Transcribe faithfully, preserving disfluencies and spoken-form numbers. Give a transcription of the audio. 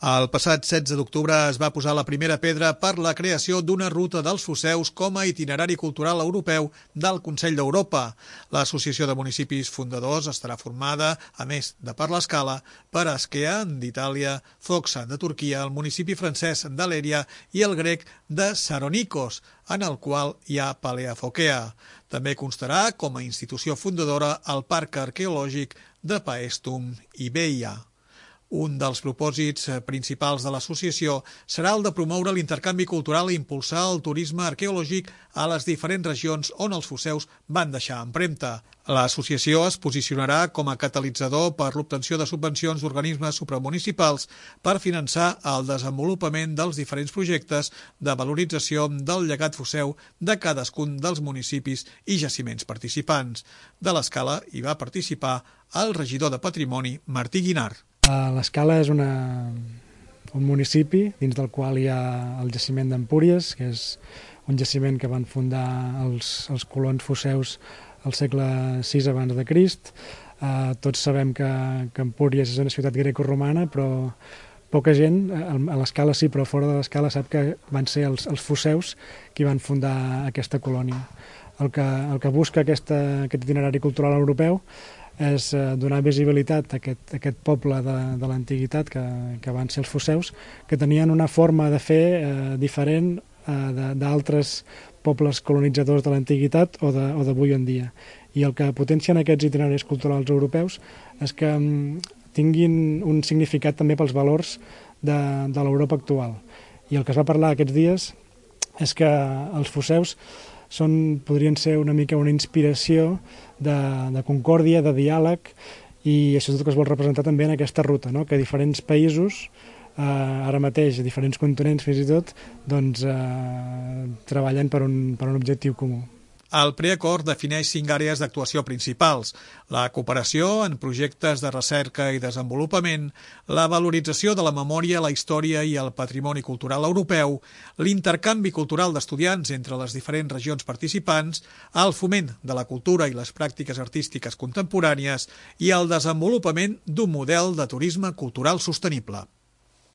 El passat setze d'octubre es va posar la primera pedra per la creació d'una ruta dels Foceus com a itinerari cultural europeu del Consell d'Europa. L'Associació de Municipis Fundadors estarà formada, a més de per l'Escala, per Askea, d'Itàlia, Foxa, de Turquia, el municipi francès d'Alèria i el grec de Saronikos, en el qual hi ha Paleafokea. També constarà com a institució fundadora el Parc Arqueològic de Paestum i Beia. Un dels propòsits principals de l'associació serà el de promoure l'intercanvi cultural i impulsar el turisme arqueològic a les diferents regions on els foceus van deixar empremta. L'associació es posicionarà com a catalitzador per l'obtenció de subvencions d'organismes supramunicipals per finançar el desenvolupament dels diferents projectes de valorització del llegat foceu de cadascun dels municipis i jaciments participants. De l'Escala hi va participar el regidor de Patrimoni, Martí Guinart. L'Escala és una, un municipi dins del qual hi ha el jaciment d'Empúries, que és un jaciment que van fundar els, els colons foceus al segle sis abans de Crist. Eh, tots sabem que, que Empúries és una ciutat grecoromana, però poca gent, a l'Escala sí, però fora de l'Escala sap que van ser els, els foceus qui van fundar aquesta colònia. El que, el que busca aquesta, aquest itinerari cultural europeu és donar visibilitat a aquest, a aquest poble de, de l'antiguitat que, que van ser els foceus, que tenien una forma de fer eh, diferent eh, d'altres pobles colonitzadors de l'antiguitat o d'avui en dia. I el que potencien aquests itineraris culturals europeus és que tinguin un significat també pels valors de, de l'Europa actual. I el que es va parlar aquests dies és que els foceus són, podrien ser una mica una inspiració de, de concòrdia, de diàleg, i això és el que es vol representar també en aquesta ruta, no? Que diferents països, eh, ara mateix, diferents continents fins i tot, doncs, eh, treballen per un, per un objectiu comú. El preacord defineix cinc àrees d'actuació principals: la cooperació en projectes de recerca i desenvolupament, la valorització de la memòria, la història i el patrimoni cultural europeu, l'intercanvi cultural d'estudiants entre les diferents regions participants, el foment de la cultura i les pràctiques artístiques contemporànies i el desenvolupament d'un model de turisme cultural sostenible.